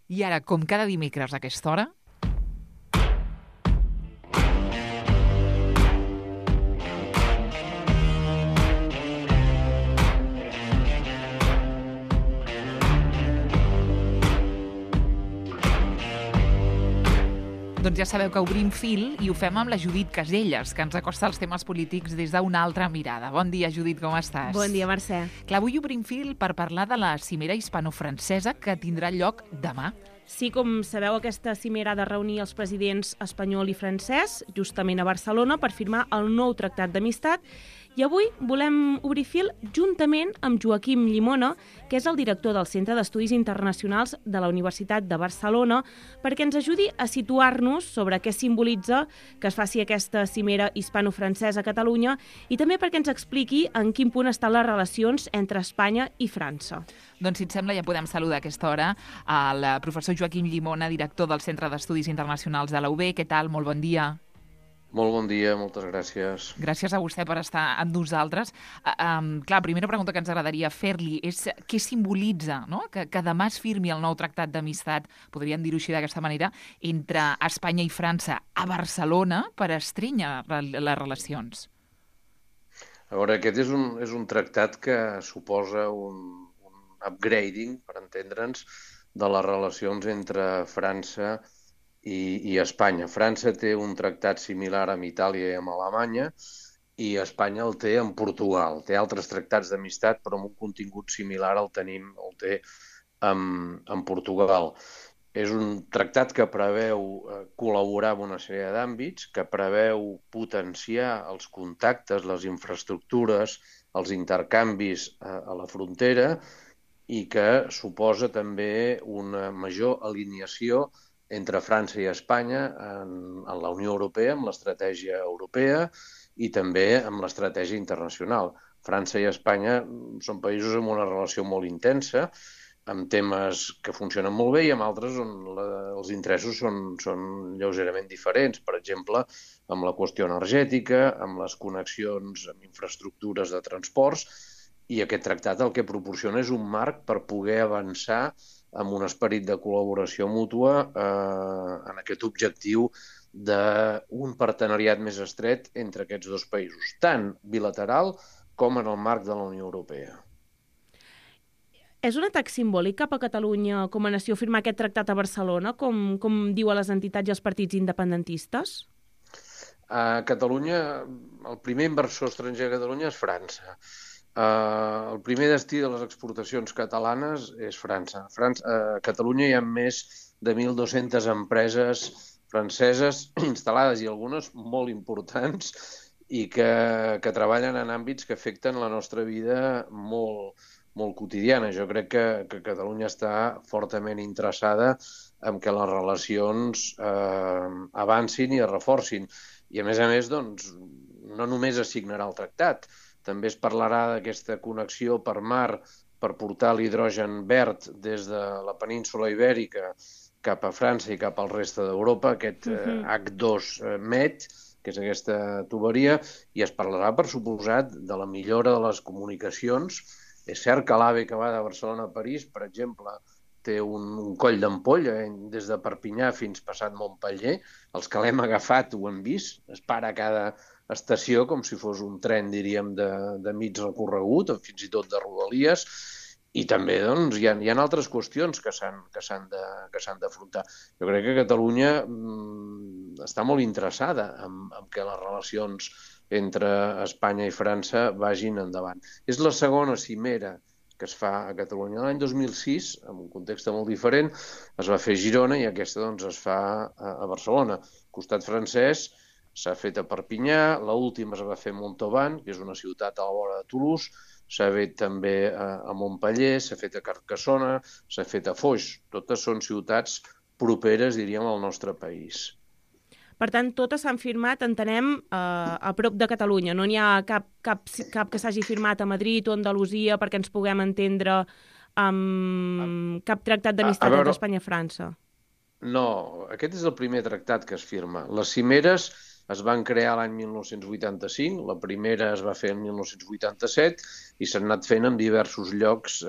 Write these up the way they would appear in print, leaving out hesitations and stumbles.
I ara, com cada dimecres a aquesta hora, doncs ja sabeu que obrim fil i ho fem amb la Judit Caselles, que ens acosta els temes polítics des d'una altra mirada. Bon dia, Judit, com estàs? Bon dia, Mercè. Clar, avui obrim fil per parlar de la cimera hispano-francesa que tindrà lloc demà. Sí, com sabeu, aquesta cimera ha de reunir els presidents espanyol i francès, justament a Barcelona, per firmar el nou tractat d'amistat. I avui volem obrir fil juntament amb Joaquim Llimona, que és el director del Centre d'Estudis Internacionals de la Universitat de Barcelona, perquè ens ajudi a situar-nos sobre què simbolitza que es faci aquesta cimera hispano-francesa a Catalunya i també perquè ens expliqui en quin punt estan les relacions entre Espanya i França. Doncs, si et sembla, ja podem saludar a aquesta hora al professor Joaquim Llimona, director del Centre d'Estudis Internacionals de la UB. Què tal? Molt bon dia. Molt bon dia, moltes gràcies. Gràcies a vostè per estar amb nosaltres. Clar, primera pregunta que ens agradaria fer-li és què simbolitza, no?, que demà es firmi el nou tractat d'amistat, podríem dir-ho així d'aquesta manera, entre Espanya i França a Barcelona per estrènyer les relacions. A veure, aquest és un tractat que suposa un upgrading, per entendre'ns, de les relacions entre França i Espanya. França té un tractat similar amb Itàlia i amb Alemanya i Espanya el té amb Portugal. Té altres tractats d'amistat, però amb un contingut similar el té amb Portugal. És un tractat que preveu col·laborar en una sèrie d'àmbits, que preveu potenciar els contactes, les infraestructures, els intercanvis a la frontera i que suposa també una major alineació entre França i Espanya en la Unió Europea, amb l'estratègia europea i també amb l'estratègia internacional. França i Espanya són països amb una relació molt intensa, amb temes que funcionen molt bé i amb altres on els interessos són lleugerament diferents. Per exemple, amb la qüestió energètica, amb les connexions amb infraestructures de transports, i aquest tractat el que proporciona és un marc per poder avançar amb un esperit de col·laboració mútua en aquest objectiu d'un partenariat més estret entre aquests dos països, tant bilateral com en el marc de la Unió Europea. És un atac simbòlic cap a Catalunya com a nació firmar aquest tractat a Barcelona, com diu a les entitats i els partits independentistes? A Catalunya, el primer inversor estranger a Catalunya és França. El primer destí de les exportacions catalanes és França. A Catalunya hi ha més de 1.200 empreses franceses instal·lades i algunes molt importants i que treballen en àmbits que afecten la nostra vida molt quotidiana. Jo crec que Catalunya està fortament interessada en que les relacions avancin i es reforcin. I a més, doncs, no només es signarà el tractat, també es parlarà d'aquesta connexió per mar per portar l'hidrogen verd des de la península Ibèrica cap a França i cap al reste d'Europa, aquest H2 Med, que és aquesta tuberia, i es parlarà, per suposat, de la millora de les comunicacions. És cert que l'AVE que va de Barcelona a París, per exemple, té un coll d'ampolla des de Perpinyà fins passat Montpeller. Els que l'hem agafat ho hem vist, es para a cada estació com si fos un tren, diríem, de mig recorregut, o fins i tot de rodalies, i també doncs, hi ha altres qüestions que s'han d'afrontar. Jo crec que Catalunya està molt interessada en que les relacions entre Espanya i França vagin endavant. És la segona cimera que es fa a Catalunya. L'any 2006, en un context molt diferent, es va fer a Girona i aquesta doncs, es fa a Barcelona. Al costat francès s'ha fet a Perpinyà, l'última es va fer a Montauban, que és una ciutat a la vora de Toulouse, s'ha fet també a Montpeller, s'ha fet a Carcassona, s'ha fet a Foix. Totes són ciutats properes, diríem, al nostre país. Per tant, totes s'han firmat, entenem, a prop de Catalunya. No n'hi ha cap que s'hagi firmat a Madrid o a Andalusia perquè ens puguem entendre amb cap tractat d'amistat entre Espanya i França. No, aquest és el primer tractat que es firma. Les cimeres es van crear l'any 1985, la primera es va fer en 1987 i s'han anat fent en diversos llocs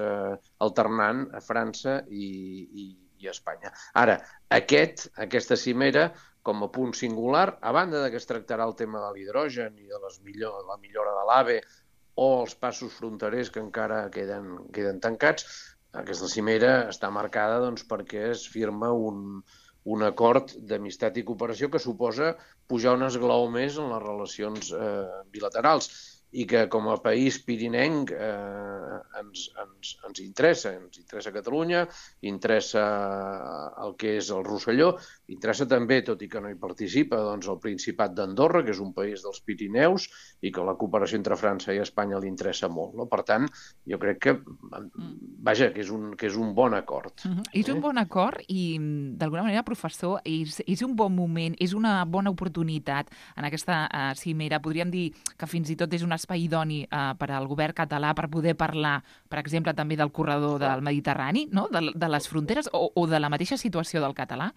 alternant a França i i Espanya. Ara, aquesta cimera, com a punt singular, a banda que es tractarà el tema de l'hidrogen i de la millora de l'AVE o els passos fronterers que encara queden tancats, aquesta cimera està marcada perquè es firma un acord d'amistat i cooperació que suposa pujar un esglaó més en les relacions bilaterals i que com a país pirinenc ens interessa Catalunya, interessa el que és el Rosselló, interessa també, tot i que no hi participa, el Principat d'Andorra, que és un país dels Pirineus i que la cooperació entre França i Espanya li interessa molt. No? Per tant, jo crec que és un bon acord. És un bon acord i, d'alguna manera, professor, és un bon moment, és una bona oportunitat en aquesta cimera. Podríem dir que fins i tot és un espai idoni per al govern català per poder parlar, per exemple, també del corredor del Mediterrani, no? De les fronteres o de la mateixa situació del català?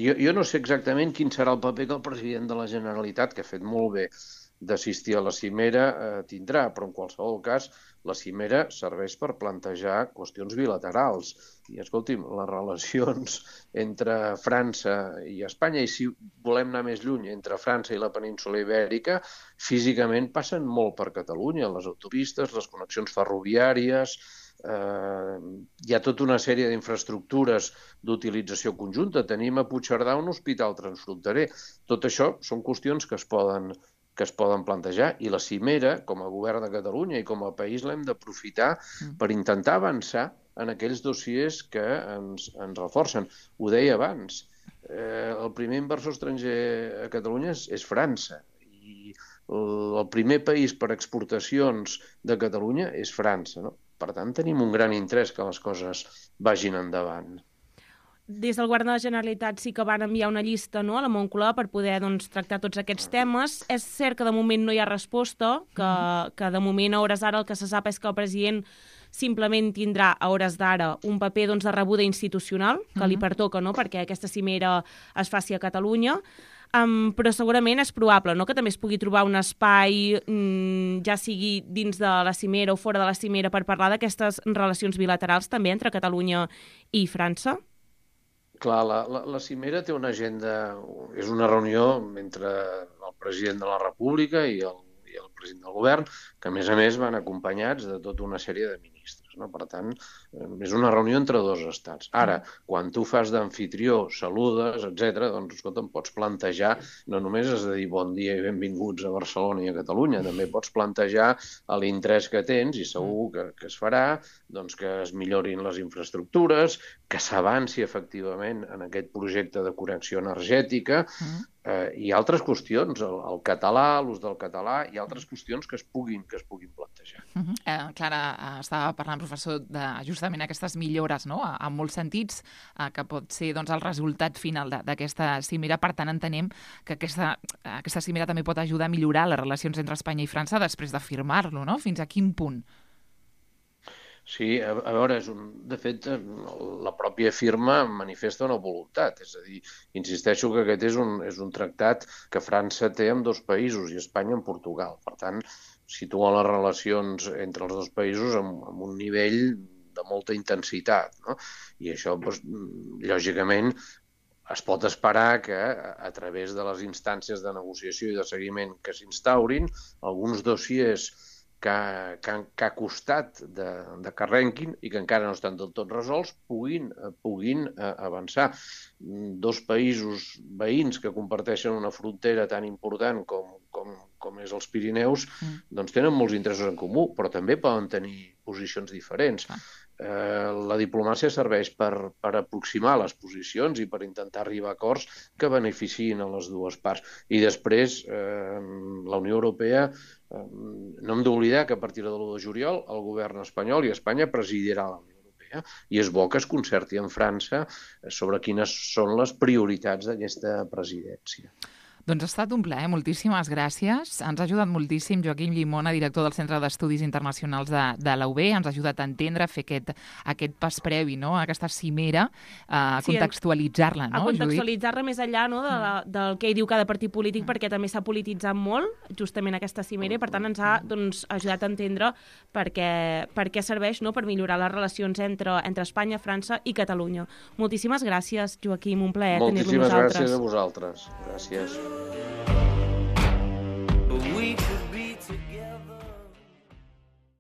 Jo no sé exactament quin serà el paper que el president de la Generalitat, que ha fet molt bé d'assistir a la cimera, tindrà, però en qualsevol cas la cimera serveix per plantejar qüestions bilaterals. I, escolti'm, les relacions entre França i Espanya, i si volem anar més lluny, entre França i la península Ibèrica, físicament passen molt per Catalunya, les autopistes, les connexions ferroviàries, hi ha tota una sèrie d'infraestructures d'utilització conjunta. Tenim a Puigcerdà un hospital transfronterer. Tot això són qüestions que es poden plantejar i la cimera, com a govern de Catalunya i com a país, l'hem d'aprofitar per intentar avançar en aquells dossiers que ens reforcen. Ho deia abans, el primer inversor estranger a Catalunya és França i el primer país per exportacions de Catalunya és França, no? Per tant, tenim un gran interès que les coses vagin endavant. Des del govern de la Generalitat sí que van enviar una llista, no, a la Moncloa per poder tractar tots aquests temes. És cert que de moment no hi ha resposta, que de moment a hores d'ara el que se sap és que el president simplement tindrà a hores d'ara un paper de rebuda institucional que li pertoca, no, perquè aquesta cimera es faci a Catalunya. Però segurament és probable, no?, que també es pugui trobar un espai, ja sigui dins de la cimera o fora de la cimera, per parlar d'aquestes relacions bilaterals també entre Catalunya i França. Clar, la cimera té una agenda, és una reunió entre el president de la República i el president del govern, que a més van acompanyats de tota una sèrie de ministres. No? Per tant, és una reunió entre dos estats. Ara, quan tu fas d'amfitrió, saludes, etc., doncs, escolta, em pots plantejar, no només has de dir bon dia i benvinguts a Barcelona i a Catalunya, també pots plantejar l'interès que tens, i segur que es farà, doncs, que es millorin les infraestructures, que s'avanci efectivament en aquest projecte de connexió energètica, i altres qüestions, el català, l'ús del català, i altres qüestions que es puguin plantejar. Clara, estava parlant, professor, de justament aquestes millores, no?, en molts sentits, que pot ser el resultat final d'aquesta cimera. Per tant, entenem que aquesta cimera també pot ajudar a millorar les relacions entre Espanya i França després de firmar-lo, no? Fins a quin punt? Sí, a veure, de fet, la pròpia firma manifesta una voluntat. És a dir, insisteixo que aquest és un tractat que França té amb dos països i Espanya amb Portugal. Per tant, situa les relacions entre els dos països amb un nivell de molta intensitat, no? I això, doncs, lògicament, es pot esperar que, a través de les instàncies de negociació i de seguiment que s'instaurin, alguns dossiers que ha costat de que arrenquin i que encara no estan del tot resolts puguin avançar. Dos països veïns que comparteixen una frontera tan important com és els Pirineus, doncs tenen molts interessos en comú, però també poden tenir posicions diferents. La diplomàcia serveix per aproximar les posicions i per intentar arribar a acords que beneficiïn a les dues parts. I després, la Unió Europea, no hem d'oblidar que a partir de l'1 de juliol el govern espanyol i Espanya presidirà la Unió Europea i és bo que es concerti amb França sobre quines són les prioritats d'aquesta presidència. Doncs ha estat un plaer, moltíssimes gràcies. Ens ha ajudat moltíssim Joaquim Llimona, director del Centre d'Estudis Internacionals de la UB. Ens ha ajudat a entendre, a fer aquest pas previ, no?, a aquesta cimera, a contextualitzar-la, no, Judit? A contextualitzar-la més enllà, no?, del que hi diu cada partit polític, perquè també s'ha polititzat molt, justament aquesta cimera, i per tant ens ha ajudat a entendre per què serveix, no?, per millorar les relacions entre Espanya, França i Catalunya. Moltíssimes gràcies, Joaquim, un plaer tenir-lo amb nosaltres. Moltíssimes gràcies a vosaltres. Gràcies.